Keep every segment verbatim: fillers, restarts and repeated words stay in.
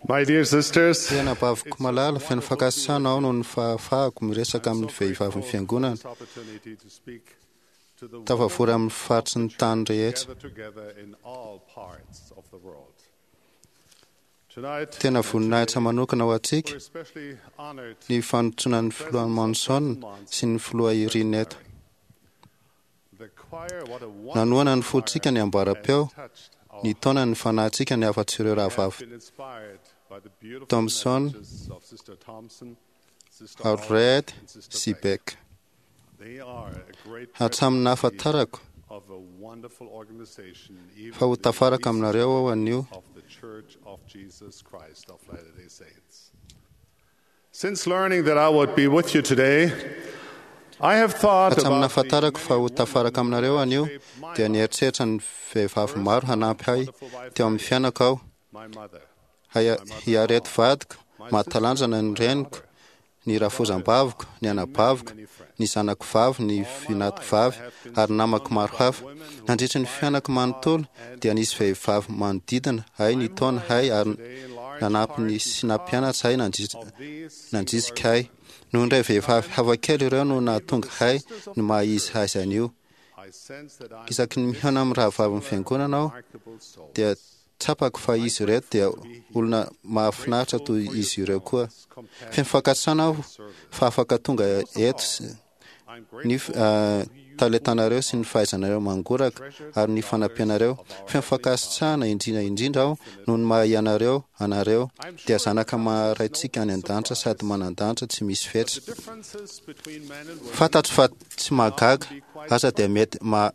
My dear sisters, Tena baviko malala, feno fankasitrahana aho noho ny fahafahako miresaka amin'ny vehivavin'ny fiangonana opportunity to speak to the tafavory amin'ny faritry ny tany rehetra. gathered together in all parts of the world. Tonight, Tena voninahitra manokana ho antsika we're especially honored ny fanontsoanan'ny filoha Monson sy ny filoha Irene eto. the choir, what a wonderful Nanohana ny fontsika ny ambaram-peo, touched our ny taona ny fanahintsika ny hafatsy ireo rahavavy been inspired by the beautiful Thompson, messages of Sister Thompson, Sister Hall, Alred and Sister sy Beck. Beck. They are a great Hatramin'ny nahafantarako of a wonderful organization, even fa ho the tafaraka aminareo aho anio of the Church of Jesus Christ of Latter-day Saints. Since learning that I would be with you today, I have thought hatramin'ny about the nahafantarako fa ho tafaraka aminareo anio dia nieritreritra ny vehivavy maro hanampy ahy teo amin'ny fiainako aho my mother, Haya- hiareto vadiko mahatalanjana ny reniko ny rafozam-baviko ny anabaviko ny zanako vavy ny vinatiko vavy ary namako maro hafa nandritra ny fiainako manontolo dia nisy vehivavy manodidina ahy ny taona hay ary nanampy ny sy nampianatra ahy nandritra- nandrisika ahy noho indray vehivavy hafakely ireo no nahatonga ahy ny maha izy azy anio I sense that I'm isaky ny mihaona amin'ny rahavavin'ny fiangonana aho remarkable soul. dia tsapako fa izy ireo dia olona mahafinaritra toy izy ireo koa feno fankasitrahana aho fa afaka tonga eto sy- I'm ny grateful ah, talentanareo sy ny fahaizanareo mangoraka ary ny fanampianareo feno fankasitrahana indrindra indrindra aho noho ny maha ianareo anareo dia zanaka maharaintsika any an-danitra sady manan-danitra tsy misy fetra differences between men and women fantatro fa tsy mahagaga aza dia mety ma-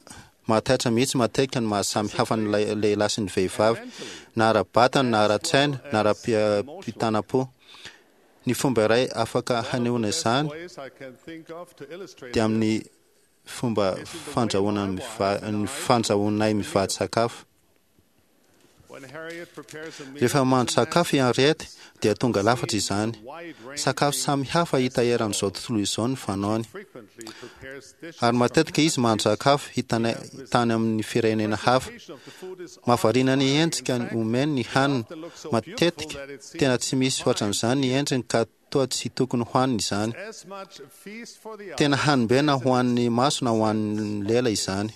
mahataitra mihitsy matetika ny mahasamy hafa ny lay- lehilahy sy ny vehivavy na ara-batana na ara-tsaina na ara-pitanam-po ny fomba iray afaka hanehoana izany ways I can think of to illustrate dia amin'ny fomba fandrahoana miva- ny fandrahoanay mivady sakafo when Harriet prepares a meal rehefa mahandro sakafo i Henriette dia tonga lafatra izany wide range sakafo samy hafa hita eran'izao tontolo izao ny fanaony frequently prepares dishes ary matetika izy mahandro sakafo hitana- tany amin'ny firenena hafa of the food is mahavariana ny endrika omeny ny hanina matetika tena tsy misy ohatran'izany ny endriny ka toa tsy tokony hohanina izany as much a feast for the tena hanimbe na ho an'ny maso na ho an'ny lela izany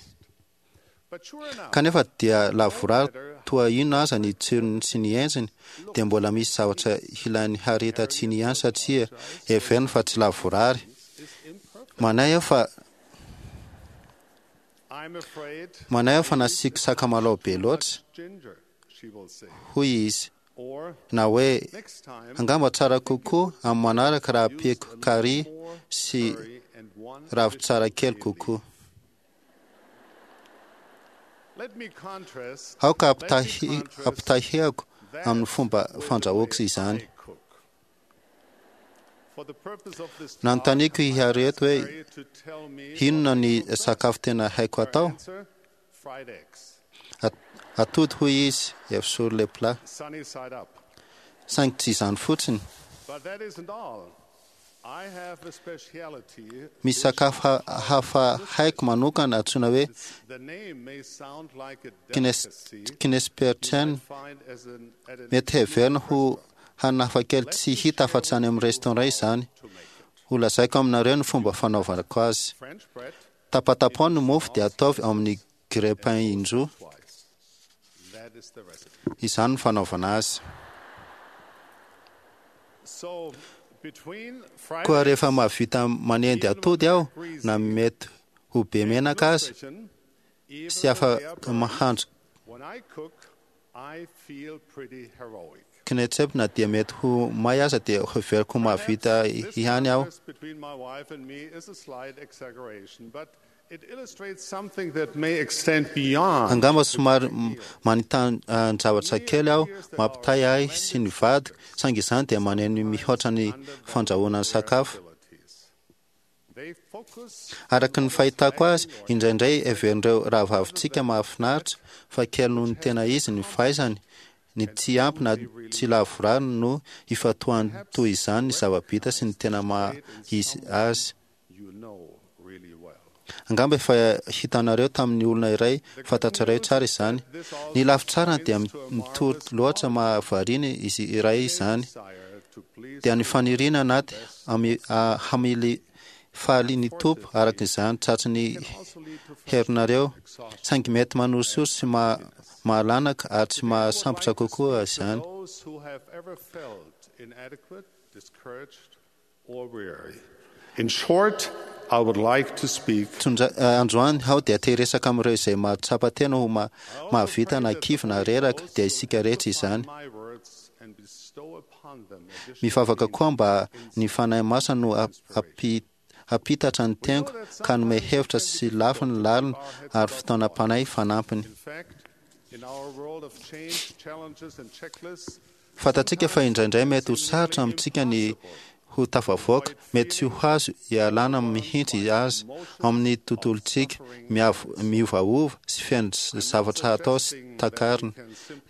but sure enough kanefa dia lavorary toa inona aza ny tsirony sy ny endriny dia mbola misy zavatra hilain'ny hareta tsiny ihany satria heveriny fa tsy lavorary manahy aho fa I'm afraid manahy aho fa nasiako sakamalao be loatra ginger she will say hoy izy or na hoe next time angamba tsara kokoa amin'ny manaraka raha ampiako kary sy curry and one ravitsara kely kokoa let me contrast aoka ampitahi- ampitahiako amin'ny fomba fandrahoako izany cook for the purpose of this nanontaniako i Harriet hoe Harriet to tell me inona ny sakafo tena haiko atao answer fried eggs At- atody hoy izy œuf sur le plat sunny side up saingy tsy izany fotsiny but that isn't all I have a speciality misy sakafo ha- hafa haiko manokana antsoina hoe the name may sound like a kines- delicacy kinesperchen find as an at an mety heverina ho hanina hafakely tsy hita afa-tsy any amin'ny restaurant izany ho lazaiko aminareo ny fomba fanaovako azy French bread tapatapao ny mofo dia ataovy ao amin'ny grille-pain indroa twice that is the recipe izany no fanaovana azy so between fried koa rehefa mahavita manendy atody aho na mety ho be menaka azy nutrition, even sy afaka mahandro when I cook I feel pretty heroic kinetsep na dia mety ho may aza dia heveriko ho mahavita This ihany aho contrast between my wife and me is a slight exaggeration, but it illustrates something that may extend beyond angamba somary m- manitan-javatra kely aho mampitahy ahy sy ny vadiko saingy izany dia maneno mihoatra ny fandrahoana ny sakafo abilities. They focus araka ny fahitako azy indraindray heverin'ireo rahavavintsika mahafinaritra fa kely noho ny tena izy ny fahaizany ny tsy ampy na tsy lavorary no ifantohany toy izany ny zava-bita sy ny tena maha izy azy you know really well. Angamba efa hitanareo tamin'ny olona iray fantatrareo tsara izany. Ny lafy tsarany dia mitory loatra mahavariana izy iray izany, dia ny faniriana anaty hamily faly ny Tompo araka izany tratry ny herinareo, saingy mety manorisory sy mahalanaka ary tsy mahasambotra kokoa izany. In short, I would like to speak Androany aho dia te hiresaka amin'ireo izay mahatsapa tena ho mahavita na kivy na reraka, dia isika rehetra izany. Mivavaka koa mba ny Fanahy Masina no hampitatra ny teniko ka hanome hevitra sy lafiny lalina ary fitaonam-panahy fanampiny. Fantatsika fa indraindray mety ho sarotra amintsika ny ho tafavoaka, mety tsy ho azo ialana mihitsy azy amin'ny tontolontsika miovaova sy feno zavatra atao sy takarina,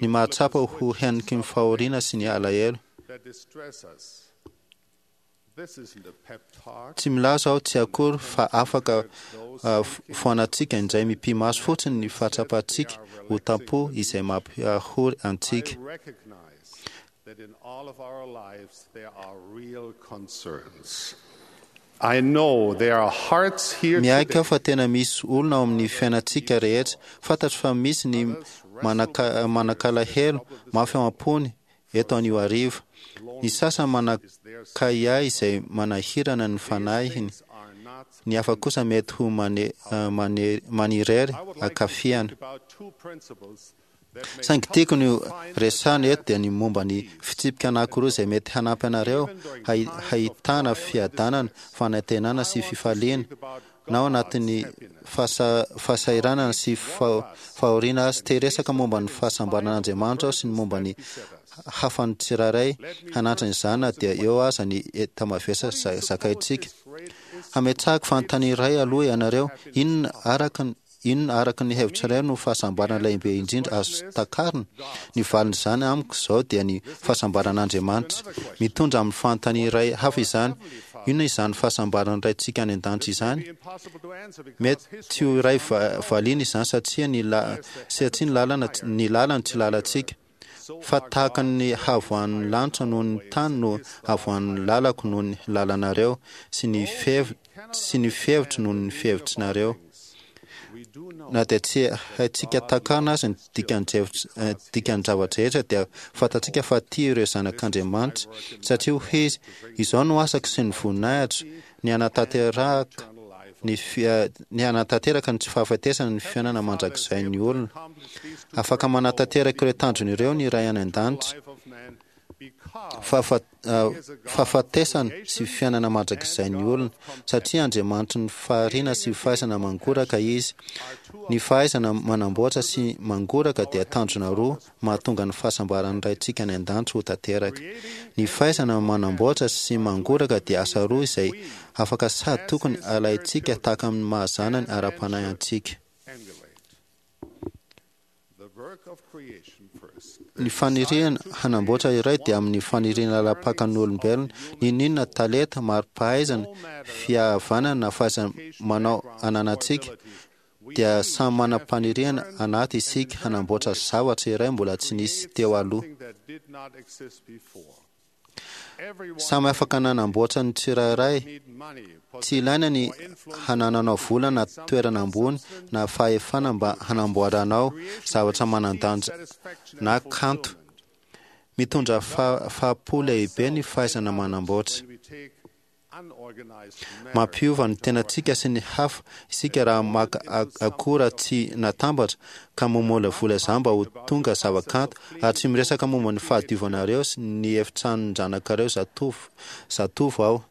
ny mahatsapa ho heniky ny fahoriana sy ny alahelo. Tsy milaza aho tsy akory fa afaka foanantsika indray mipi-maso fotsiny ny fahatsapantsika ho tampo izay mampihory antsika. That in all of our lives there are real concerns. I know there are hearts here Miaiky aho fa tena misy olona ao amin'ny fiainantsika rehetra. Fantatro fa misy ny manan-kalahelo mafy ao am-pony eto anio hariva. Ny sasany manan-kahiahy izay manahirana ny fanahiny. Ny hafa kosa mety ho manirery ankafiana. Saingy tiako ny resahana eto dia ny momba ny fitsipika anankiroa izay mety hanampy anareo hahitana fiadanana, fanantenana sy fifaliana na ao anatin'ny fahasahiranana sy fahoriana azy. Te hiresaka momba ny fahasambaran'Andriamanitra aho sy ny momba ny hafan'ny tsirairay hanantrana izany na dia eo aza ny enta-mavesatra zakaintsika. Hametrahako fanontaniana iray aloha ianareo: inona araka ny Inona araka ny hevitrareo no fahasambarana lehibe indrindra azo takarina? Ny valin'izany amiko izao dia ny fahasambaran'Andriamanitra. Mitondra amin'ny fanontaniana iray hafa izany: inona izany fahasambaran'ny Raintsika any an-danitra izany? Mety tsy ho iray valiana izany satria ny satria ny lalana ny lalany tsy lalantsika. Fa tahaka ny havoan'ny lanitra noho ny tany no havoan'ny lalako noho ny lalanareo, sy ny fihev sy ny fihevitro noho ny fihevitrinareo. Na dia tsy haintsika takarina aza ny dikan-javatra rehetra, dia fantatsika fa tia ireo zanak'Andriamanitra, satria hoy izy: izao no asako sy ny voninahitro, ny hanatanteraka ny ny hanatanteraka ny tsy fahafatesana ny fiainana mandrakizay ny olona. Afaka manatanteraka ireo tanjona ireo ny Ray any an-danitra. Fahafatesana sy fiainana mandrakizay ny olona, satria Andriamanitry ny fahariana sy fahaizana mangoraka izy. Ny fahaizana manamboatra sy mangoraka dia tanjona roa mahatonga ny fahasambaran'ny Raintsika any an-danitra ho tanteraka. Ny fahaizana manamboatra sy mangoraka dia asa roa izay afaka sady tokony alaintsika tahaka amin'ny mahazanany ara-panahy antsika. Ny faniriana hanamboatra iray dia amin'ny faniriana lapakan'ny olombelona, n'inon'inona talenta, mari-pahaizana, fihavanana na fahaiza-manao ananantsika, dia samy manam-paniriana anaty isika hanamboatra zavatra iray mbola tsy nisy teo aloha. Samy afaka nanamboatra ny tsirairay. Tsy ilaina ny hanananao vola na toerana ambony na fahefana mba hanamboaranao zavatra manan-danja na kanto. Mitondra fahapo lehibe ny fahaizana manamboatra. Mampiova ny tenantsika sy ny hafa isika raha maka akora tsy natambatra ka mamolavola izany mba ho tonga zava-kanto, ary tsy miresaka momba ny fahadiovanareo sy ny efitranon-janakareo zatovo zatovo aho.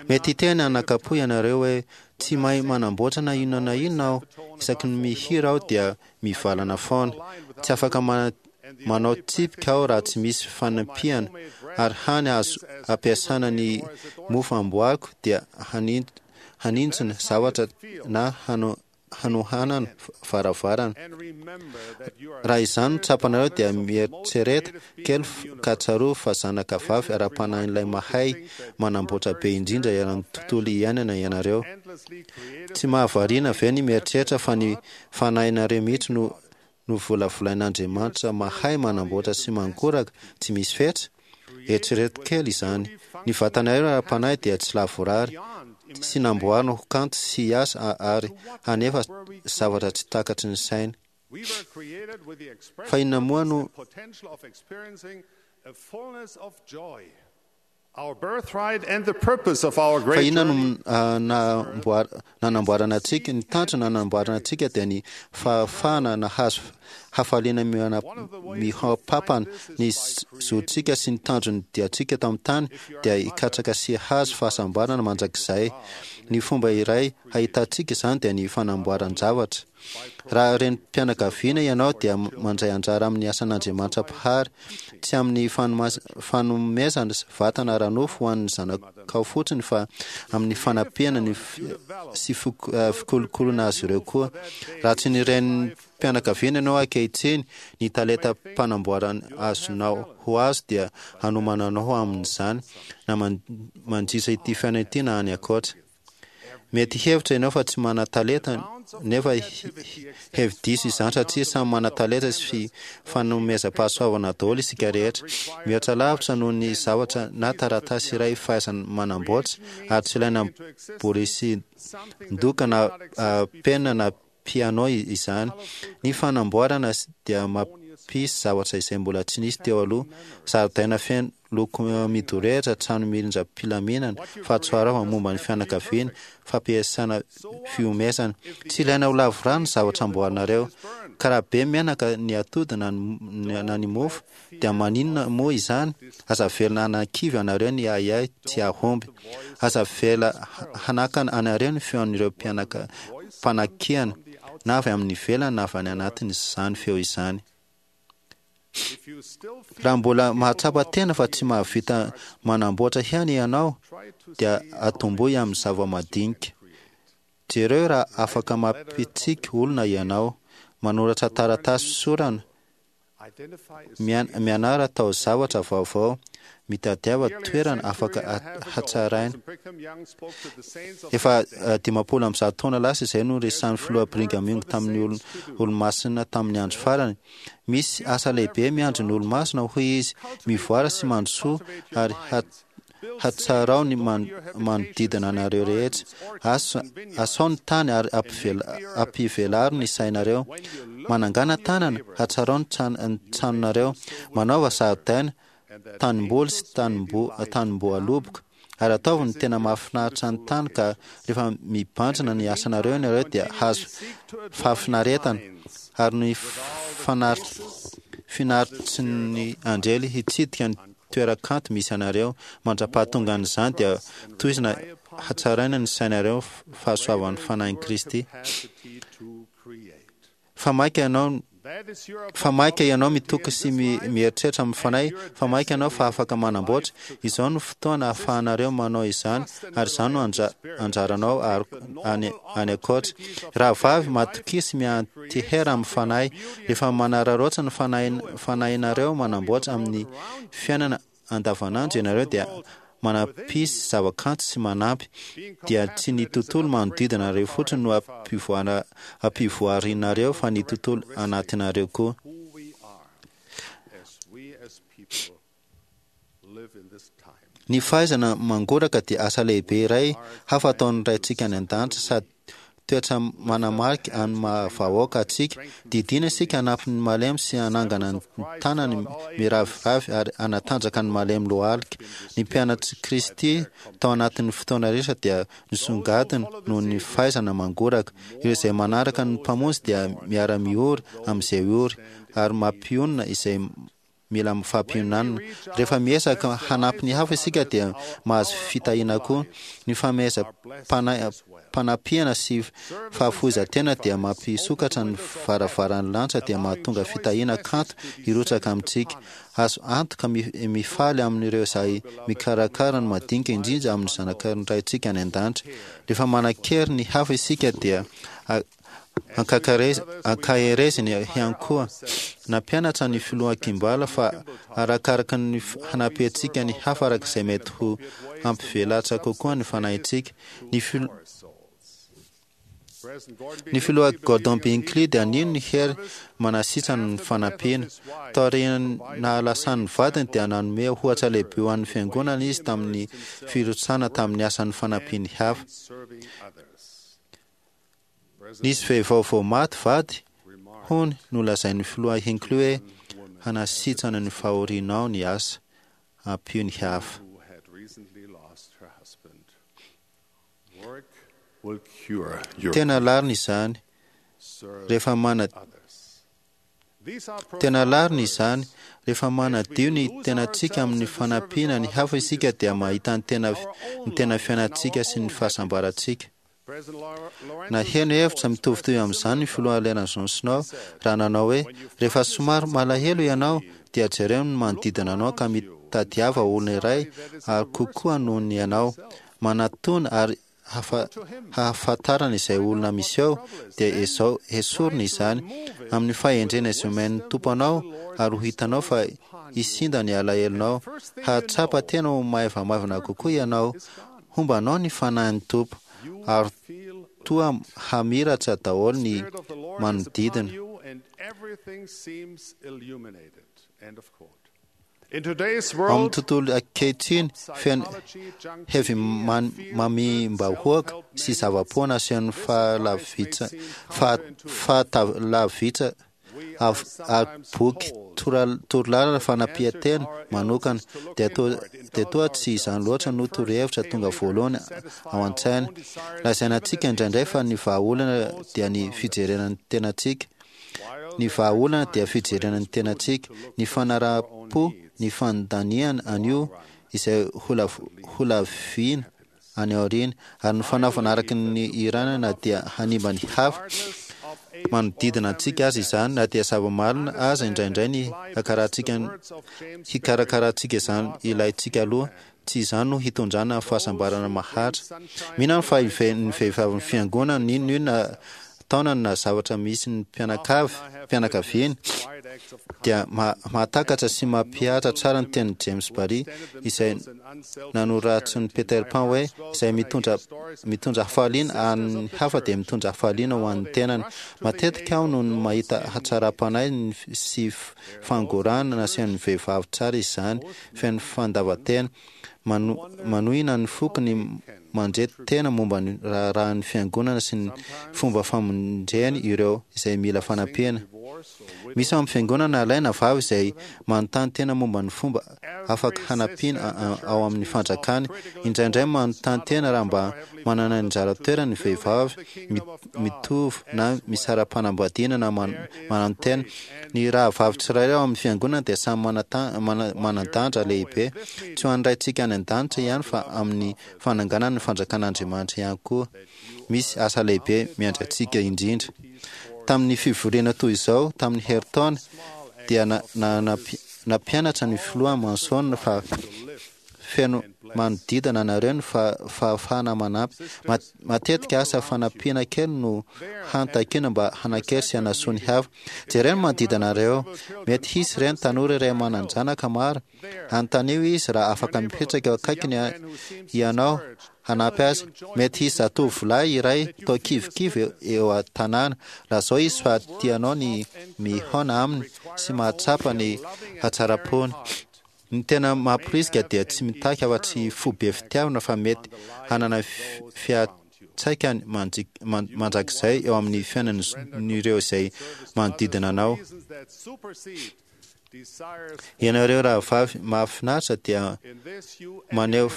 Mety hiteny anakapo ianareo hoe tsy mahay manamboatra na inona na inona aho, isaky ny mihira aho dia mivalana foana. Tsy afaka manao tsipika aho raha tsy misy fanampiana, ary hany azo ampiasana ny mofo amboariko dia hanintsina zavatra na hanohanana varavarana. Raha izany no tsapanareo dia mieritrereta kely ka tsarovy fa zanaka vavy ara-panahin'ilay mahay manamboatra be indrindra eran'ny tontolo iainana ianareo. Tsy mahavariana ve ny mieritreritra fa ny fanahinareo mihitsy no novolavolain'Andriamanitra mahay manamboatra sy mangoraka tsy misy fetra? Eritrereto kely izany. Ny vatanareo ara-panahy dia tsy lavorary sy namboarina ho kanto sy hiasa ary hanefa zavatra tsy takatry ny saina. Fa inona moa no fa inona no nanamboarana antsika? Ny tanjona nanamboarana antsika dia ny fahafahana nahazo hafaliana mihoa-pampana. Ny zontsika sy ny tanjon'ny diantsika tamin'ny tany dia hikatsaka sy hahazo fahasambarana mandrakizay. Ny fomba iray hahitantsika izany dia ny fanamboaran-javatra. Raha renim-pianakaviana ianao dia mandray anjara amin'ny asan'Andriamanitra Mpahary, tsy amin'ny fanomezana vatana ara-nofo ho an'ny zanakao fotsiny fa amin'ny fanampiana ny sy fikolokoloana azy ireo koa. Raha tsy ny renim-pianakaviana ianao ankehitriny, ny talenta mpanamboarana azonao ho azo dia hanomana anao amin'izany na mandritra ity fiainana ity na any ankoatra. Mety hevitra ianao fa tsy manan-talenta, nefa hevi-diso izany satria samy manan-talenta sy fanomezam-pahasoavana daholo isika rehetra. Mihoatra lavitra noho ny zavatra na taratasy iray fahaizana manamboatra, ary tsy ilaina borisin-doka na penina na piano izany. Ny fanamboarana dia mampisy zavatra izay mbola tsy nisy teo aloha. Zaridaina feno loko midorehitra, trano mirindram-pilaminana, fahatsoaravana momba ny fianakaviana, fampiasana fihomezana. Tsy ilaina ho lavorary ny zavatra amboarinareo. Ka raha be menaka ny atody na ny mofo, dia maninona moa izany? Aza avelona hanakivy anareo ny ahiahy tsy hahomby. Aza avela hanakana anareo ny feon'ireo mpianaka mpanakiana, na avy amin'ny ivelany na avy any anatiny izany feo izany. Raha mbola mahatsapa tena fa tsy mahavita manamboatra ihany ianao, dia atombohy amin'ny zava-madinika. Jereo raha afaka mampitsiky olona ianao, manoratra taratasy fisorana, mianara atao zavatra vaovao, mitadiava toerana afaka hatsaraina. Efa dimampolo amby zato taona lasa izay no resahan'ny filoha Brigham Young tamin'ny olomasina tamin'ny andro farany. Misy asa lehibe miandry ny olomasina, hoy izy, mivoara sy mandrosoa ary hatsarao ny manodidina anareo rehetra. Asao ny tany ary ampivelaro ny sainareo. Manangana tanana, hatsarao ny tranonareo. Manaova zaridaina, tanimboly sy tanim-boaloboka. Ary ataovy ny tena mahafinaritra ny tany ka rehefa mibanjina ny asanareo ianareo dia hahazo fahafinaretana. Ary ny finaritry ny anjely hitsidika ny toeran-kanto misy anareo. Mandra-pahatongan'izany dia tohizina hatsaraina ny sainareo fahasoavan'ny fanahin'i Kristy. Fa maika ianao fa maika ianao mitoky sy mieritreritra amin'ny fanahy, fa maika ianao fa afaka manamboatra. Izao no fotoana ahafahanareo manao izany, ary izany no anjaranao any any ankoatra. Rahavavy, matokia sy miantehera amin'ny fanahy. Rehefa manararaotra ny fanahinareo manamboatra amin'ny fiainana andavanandro ianareo dia manampisy zavakanto sy manampy, dia tsy ny tontolo manodidina anareo fotsiny no ampivoarinareo fa ny tontolo anatinareo koa. Ny fahaizana mangoraka dia asa lehibe iray hafa ataon'ny Raintsika any an-danitra sady toetra manamarika an'ny maha vahoaka antsika. Didiana isika hanampy ny malemy sy hanangana ny tanany miraviravy ary hanatanjaka ny malemy lohalika. Ny mpianatr'i Kristy tao anatin'ny fotoana rehetra dia nisongadina noho ny fahaizana mangoraka. Ireo izay manaraka ny Mpamonjy dia miara-miory amin'izay ory ary mampionona izay mila fampiononana. Rehefa miezaka hanampy ny hafa isika dia mahazo fitahiana koa. Ny fanomezam-panampiana sy fahafoizan-tena dia mampisokatra ny varavaran'ny lanitra dia mahatonga fitahiana kanto hirotsaka amintsika. Azo antoka mifaly amin'ireo izay mikarakara ny madinika indrindra amin'ny zanak'ny Raintsika any an-danitra. Rehefa manan-kery ny hafa isika dia Ankahereziny ihany koa. Nampianatra ny filoha Kimball fa arakaraka ny hanampiantsika ny hafa araka izay mety ho hampivelatra kokoa ny fanahintsika. Ny fil Ny filoha Gordon B. Hinckley dia nino ny hery manasitrana ny fanampiana. Taorian'ny nahalasan'ny vadiny dia nanome ohatra lehibe ho an'ny fiangonana izy tamin'ny firotsahana tamin'ny asan'ny fanampian'ny hafa. Nisy vehivavy vao maty vady hono nolazain'ny filoha Hinckley hoe hanasitrana ny fahorianao ny asa, ampio ny hafa. Tena larina izany rehefa mana Tena larina izany rehefa manadio ny tenantsika amin'ny fanampiana ny hafa isika dia mahita ny tena ny tena fiainantsika sy ny fahasambarantsika. Naheno hevitra mitovitovy amin'izany ny filoha Lyndon Johnson raha nanao hoe rehefa somary malahelo ianao dia jereo ny manodidina anao ka mitadiava olona iray ary kokoa noho ny ianao manatona ary hahafantarana izay olona misy ao dia ezao esorina izany amin'ny fahendrena izay omen'ny Tompo anao ary ho hitanao fa hisinda ny alahelonao. Hahatsapa tena ho maivamaivana kokoa ianao, homba anao ny fanahin'ny Tompo ary toa hamiratra daholo ny manodidina. Ao amin'ny tontolo ankehitriny feno heavy mamim-bahoaka sy zava-poana asehon'ny fahalavitsa fahatavitsa ary boky torolalana fanampian-tena manokana dia toa dia toa tsy izany loatra no torohevitra tonga voalohany ao an-tsaina. Lazaina antsika indraindray fa ny vahaolana dia ny fijerena ny tenantsika. Ny vahaolana dia fijerena ny tenantsika, ny fanaraha-po, ny fandaniana an'io izay holavina any aoriana, ary ny fanaovana araka ny irana na dia hanimba ny hafa manodidina antsika aza izany, na dia zava-marina aza indraindray ny hikarakarantsika izany ilaintsika aloha, tsy izany no hitondrana fahasambarana maharitra. Mino aho fa ny vehivavin'ny fiangonana n'inona taonany na zavatra misy ny mpianakavy mpianakaviany dia mahatakatra sy mampihatra tsara ny tenin'i James Barry izay nanoratsin'i Peter Pan hoe izay mitondra mitondra hafaliana an'ny hafa dia mitondra hafaliana ho an'ny tenany. Matetika aho no mahita hatsaram-panahy sy fangorahana nasehon'ny vehivavy tsara izany feno fandavan-tena manohina ny foko ny mandre tena momba ny raharahan'ny fiangonana sy ny fomba famonjeny ireo izay mila fanampiana. Misy ao amin'ny fiangonana alaina vavy izay manontany tena momba ny fomba afaka hanampiana ao amin'ny fanjakany. Indraindray manontany tena raha mba manana anjara toerana ny vehivavy mitovy na misara-panambadiana na manantena. Ny rahavavy tsirairay ao amin'ny fiangonana dia samy manan-danja lehibe, tsy ho an'ny Raintsika any an-danitra ihany fa amin'ny fananganana ny fanjakan'Andriamanitra ihany koa. Misy asa lehibe miandry antsika indrindra. Tamin'ny fivoriana toy izao tamin'ny herintaona dia nampianatra ny filoha Monson fa feno manodidina anareo ny fahafahana manampy. Matetika asa fanampiana kely no hantakiana mba hanakery sy hanasoa ny hafa. Jereo ny manodidina anareo. Mety hisy reny tanora iray manan-janaka maro. Anontanio izy raha afaka mipetraka eo akaikiny ianao hanampy azy. Mety hisy zatovolahy iray toa kivikivy eo an-tanàna. Lazao izy fa tianao ny mihaona aminy sy mahatsapa ny hatsaram-pony. Ny tena mamporisika dia tsy mitaky afa-tsy fo be fitiavana fa mety hanana fiantraikany mandrakizay eo amin'ny fiainan'ireo izay manodidina anao. Ianareo rahavavy mahafinaritra dia maneho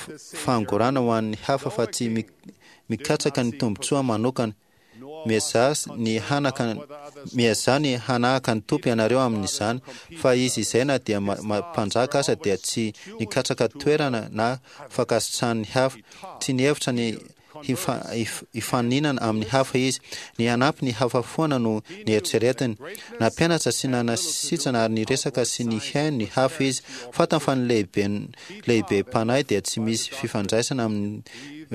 fangorana ho an'ny hafa fa tsy mikatsaka ny tombontsoa manokana. Miezaha ny hanaka miezaha ny hanahaka ny Tompo ianareo amin'izany, fa izy izay na dia mpanjaka aza dia tsy nikatsaka toerana na fankasitrahan'ny hafa, tsy nihevitra ny hifaninana amin'ny hafa izy. Ny hanampy ny hafa foana no nieritreretiny. Nampianatra sy nanasitrana ary niresaka sy nihaino ny hafa izy. Fantany fa ny lehibe lehibe mpanahy dia tsy misy fifandraisana amin'ny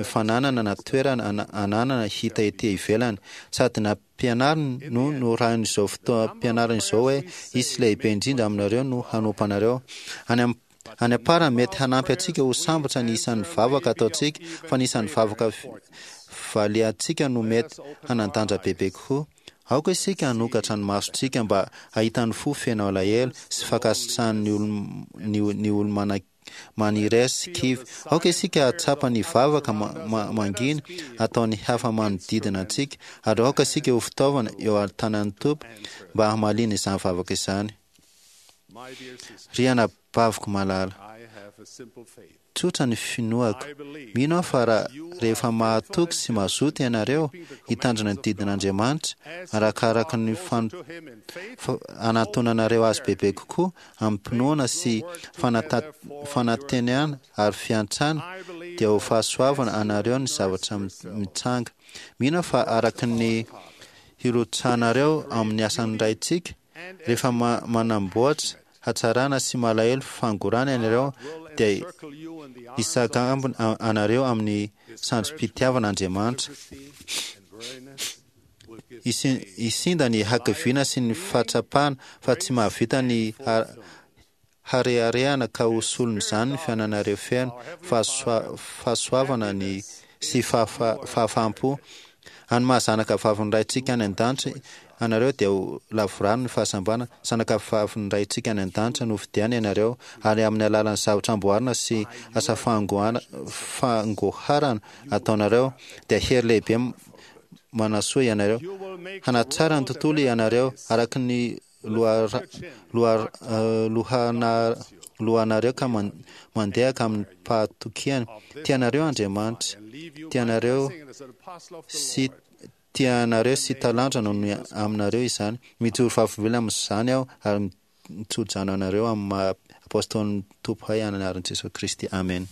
fananana na toerana ananana hita ety ivelany. Sady nampianariny no norahin'izao fotoam-pianarana izao hoe hisy lehibe indrindra aminareo no hanompo anareo. Any amin'ny any am-parany, mety hanampy antsika ho sambatra ny isan'ny vavaka ataontsika, fa ny isan'ny vavaka valiantsika no mety hanan-danja bebe kokoa. Aoka isika hanokatra ny masontsika mba hahita ny fo feno alahelo sy fankasitrahan'ny olo ny olo manirery sy kivy. Aoka isika hahatsapa ny vavaka mangina ataon'ny hafa manodidina antsika, ary aoka isika ho fitaovana eo an-tanan'ny Tompo mba hamaliana izany vavaka izany. Ry anabaviko malala, tsotra ny finoako. Mino aho fa raha rehefa mahatoky sy mazoto ianareo hitandrina ny didin'Andriamanitra, arakaraka ny anatonanareo azy bebe kokoa amim-pinoana sy fanantenana ary fiantrana, dia ho fahasoavana anareo ny zavatra mitranga. Mino aho fa araka ny hirotsahanareo amin'ny asan'ny Raintsika, rehefa manamboatra hatsarana sy malahelo fangorana ianareo, dia hisakambina anareo amin'ny sandrim-pitiavana Andriamanitra. Hisinda ny hakiviana sy ny fahatsapana fa tsy mahavita ny hareharehana ka ho solon'izany ny fiainanareo feno fahasoavana ny sy fahafaham-po. Any maha zanaka vavin'ny Raintsika any an-danitra anareo dia ho lavorary ny fahasambarana. Zanaka vavin'ny Raintsika any an-danitra no fidiana ianareo, ary amin'ny alalan'ny zavatra amboarina sy asa fangoharana ataonareo dia hery lehibe manasoa ianareo. Hanatsara ny tontolo ianareo araka ny lohanareo ka mandeha ka amin'ny fahatokiana. Tianareo Andriamanitra, tianareo sy tianareo sy talanjona no aminareo izany. Mijoro vavolombelona amin'izany aho ary mitso-drano anareo amin'ny maha apôstôlin'ny Tompo hay anaran'i Jesosy Kristy. Amen.